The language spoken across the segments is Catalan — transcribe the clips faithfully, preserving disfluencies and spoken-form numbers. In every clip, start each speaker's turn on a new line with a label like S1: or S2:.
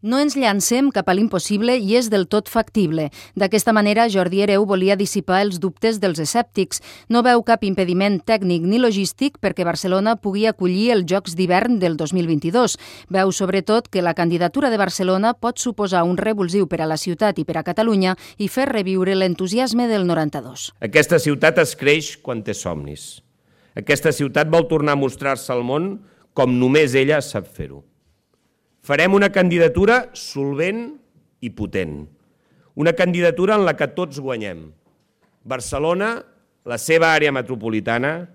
S1: No ens llancem cap a l'impossible i és del tot factible. D'aquesta manera, Jordi Hereu volia dissipar els dubtes dels escèptics. No veu cap impediment tècnic ni logístic perquè Barcelona pugui acollir els Jocs d'hivern del dos mil vint-i-dos. Veu, sobretot, que la candidatura de Barcelona pot suposar un revulsiu per a la ciutat i per a Catalunya i fer reviure l'entusiasme del noranta-dos.
S2: Aquesta ciutat es creix quan té somnis. Aquesta ciutat vol tornar a mostrar-se al món com només ella sap fer-ho. Farem una candidatura solvent i potent. Una candidatura en la que tots guanyem. Barcelona, la seva àrea metropolitana,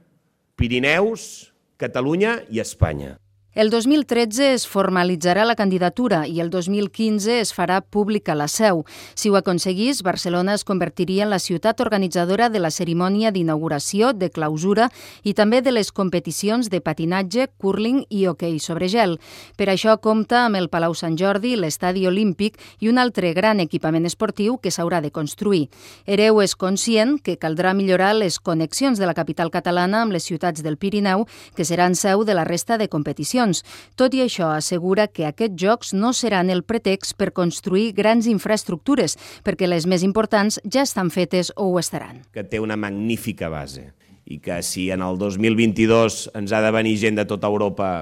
S2: Pirineus, Catalunya i Espanya.
S1: El dos mil tretze es formalitzarà la candidatura i el dos mil quinze es farà pública la seu. Si ho aconseguís, Barcelona es convertiria en la ciutat organitzadora de la cerimònia d'inauguració, de clausura i també de les competicions de patinatge, cúrling i hoquei sobre gel. Per això compta amb el Palau Sant Jordi, l'Estadi Olímpic i un altre gran equipament esportiu que s'haurà de construir. Hereu és conscient que caldrà millorar les connexions de la capital catalana amb les ciutats del Pirineu, que seran seu de la resta de competicions. Tot i això, assegura que aquests jocs no seran el pretext per construir grans infraestructures, perquè les més importants ja estan fetes o ho estaran.
S2: Que té una magnífica base i que si en el dos mil vint-i-dos ens ha de venir gent de tota Europa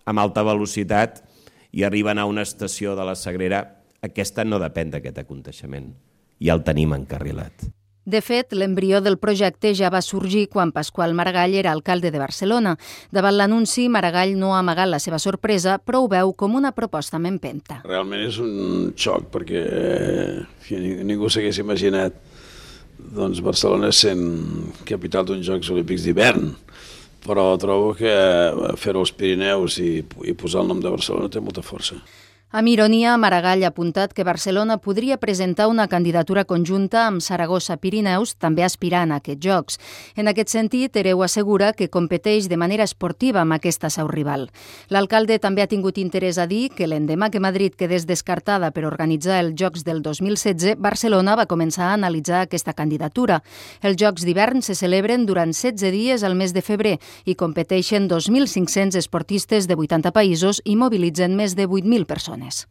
S2: amb alta velocitat i arriben a una estació de la Sagrera, aquesta no depèn d'aquest aconteixement. Ja el tenim encarrilat.
S1: De fet, l'embrió del projecte ja va sorgir quan Pasqual Maragall era alcalde de Barcelona. Davant l'anunci, Maragall no ha amagat la seva sorpresa, però ho veu com una proposta amb empenta.
S3: Realment és un xoc, perquè eh, ningú s'hagués imaginat doncs, Barcelona sent capital d'uns Jocs Olímpics d'hivern. Però trobo que fer-ho als Pirineus i, i posar el nom de Barcelona té molta força.
S1: Amb ironia, Maragall ha apuntat que Barcelona podria presentar una candidatura conjunta amb Saragossa-Pirineus, també aspirant a aquests Jocs. En aquest sentit, Hereu assegura que competeix de manera esportiva amb aquesta seu rival. L'alcalde també ha tingut interès a dir que l'endemà que Madrid quedés descartada per organitzar els Jocs del dos mil setze, Barcelona va començar a analitzar aquesta candidatura. Els Jocs d'hivern se celebren durant setze dies al mes de febrer i competeixen dos mil cinc-cents esportistes de vuitanta països i mobilitzen més de vuit mil persones.